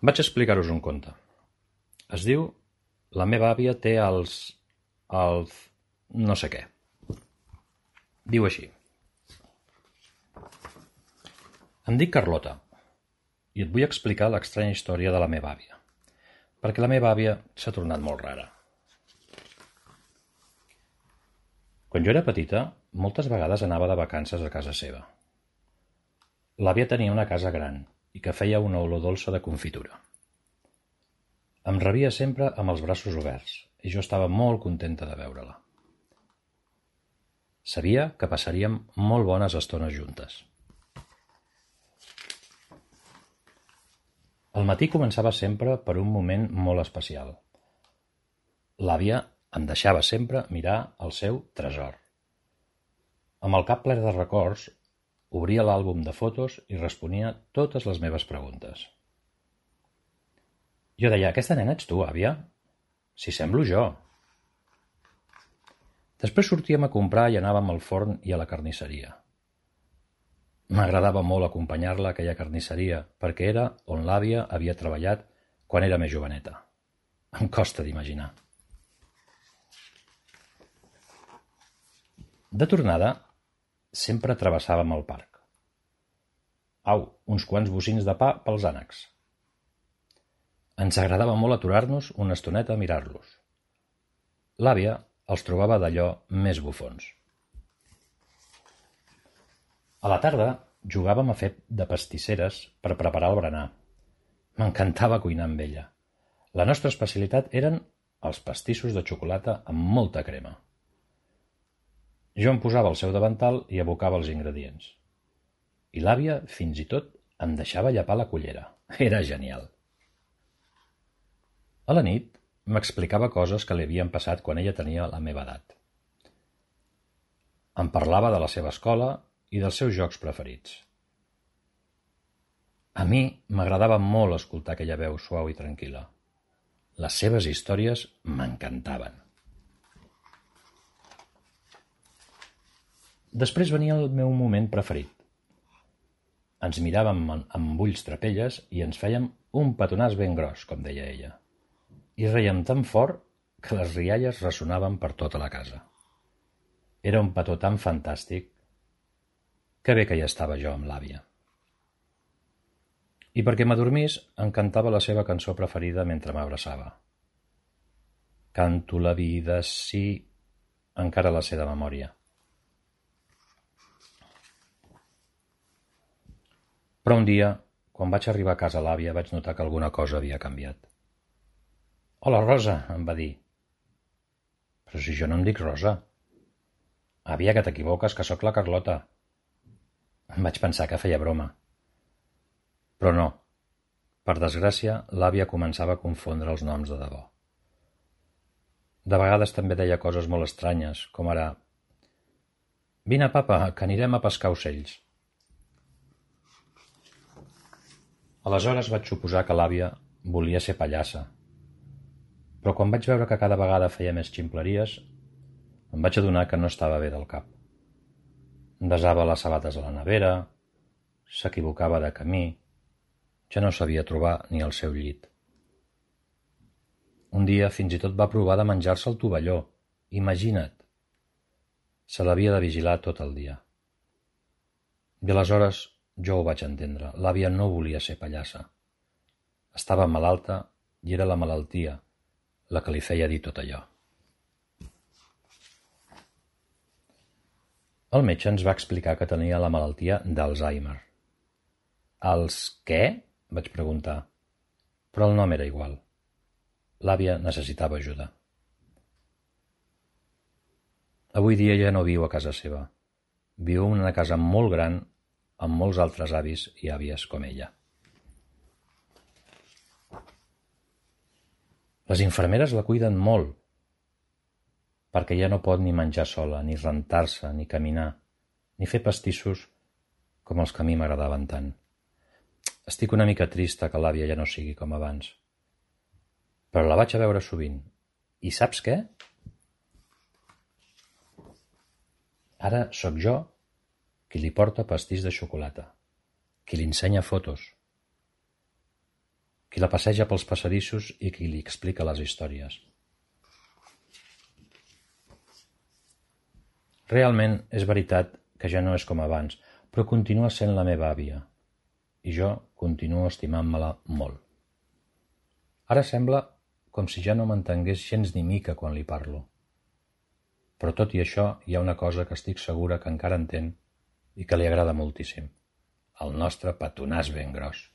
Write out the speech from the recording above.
Vaig explicar-vos un conte. Es diu La meva àvia té els... no sé què. Diu així. Em dic Carlota i et vull explicar l'estranya història de la meva àvia, perquè la meva àvia s'ha tornat molt rara. Quan jo era petita, moltes vegades anava de vacances a casa seva. L'àvia tenia una casa gran i que feia una olor dolça de confitura. Em rebia sempre amb els braços oberts i jo estava molt contenta de veure-la. Sabia que passaríem molt bones estones juntes. El matí començava sempre per un moment molt especial. L'àvia em deixava sempre mirar el seu tresor. Amb el cap ple de records, obria l'àlbum de fotos i responia totes les meves preguntes. Jo deia, aquesta nena ets tu, àvia? Si semblo jo. Després sortíem a comprar i anàvem al forn i a la carnisseria. M'agradava molt acompanyar-la a aquella carnisseria perquè era on l'àvia havia treballat quan era més joveneta. Em costa d'imaginar. De tornada, sempre travessàvem el parc. Au, uns quants bocins de pa pels ànecs. Ens agradava molt aturar-nos una estoneta a mirar-los. L'àvia els trobava d'allò més bufons. A la tarda jugàvem a fer de pastisseres per preparar el berenar. M'encantava cuinar amb ella. La nostra especialitat eren els pastissos de xocolata amb molta crema. Jo em posava al seu davantal i abocava els ingredients. I l'àvia, fins i tot, em deixava llepar la cullera. Era genial. A la nit m'explicava coses que li havien passat quan ella tenia la meva edat. Em parlava de la seva escola i dels seus jocs preferits. A mi m'agradava molt escoltar aquella veu suau i tranquil·la. Les seves històries m'encantaven. Després venia el meu moment preferit. Ens miràvem amb ulls trapelles i ens fèiem un petonàs ben gros, com deia ella. I rèiem tan fort que les rialles ressonaven per tota la casa. Era un petó tan fantàstic. Que bé que hi estava jo amb l'àvia. I perquè m'adormís, em cantava la seva cançó preferida mentre m'abraçava. Canto la vida, sí, encara la sé de memòria. Però un dia, quan vaig arribar a casa l'àvia, vaig notar que alguna cosa havia canviat. Hola, Rosa, em va dir. Però si jo no em dic Rosa. Àvia, que t'equivoques, que sóc la Carlota. Em vaig pensar que feia broma. Però no. Per desgràcia, l'àvia començava a confondre els noms de debò. De vegades també deia coses molt estranyes, com ara «Vine, papa, que anirem a pescar ocells». Aleshores vaig suposar que l'àvia volia ser pallassa. Però quan vaig veure que cada vegada feia més ximpleries, em vaig adonar que no estava bé del cap. Desava les sabates a la nevera, s'equivocava de camí, ja no sabia trobar ni el seu llit. Un dia fins i tot va provar de menjar-se el tovalló, imagina't. Se l'havia de vigilar tot el dia. I aleshores jo ho vaig entendre, l'àvia no volia ser pallassa. Estava malalta i era la malaltia la que li feia dir tot allò. El metge ens va explicar que tenia la malaltia d'Alzheimer. Els què? Vaig preguntar. Però el nom era igual. L'àvia necessitava ajuda. Avui dia ja no viu a casa seva. Viu en una casa molt gran amb molts altres avis i àvies com ella. Les infermeres la cuiden molt, perquè ja no pot ni menjar sola, ni rentar-se, ni caminar, ni fer pastissos com els que a mi m'agradaven tant. Estic una mica trista que l'àvia ja no sigui com abans. Però la vaig a veure sovint. I saps què? Ara sóc jo qui li porta pastís de xocolata, qui li ensenya fotos, qui la passeja pels passadissos i qui li explica les històries. Realment és veritat que ja no és com abans, però continua sent la meva àvia, i jo continuo estimant-me-la molt. Ara sembla com si ja no m'entengués gens ni mica quan li parlo. Però tot i això hi ha una cosa que estic segura que encara entén i que li agrada moltíssim: el nostre petonàs ben gros.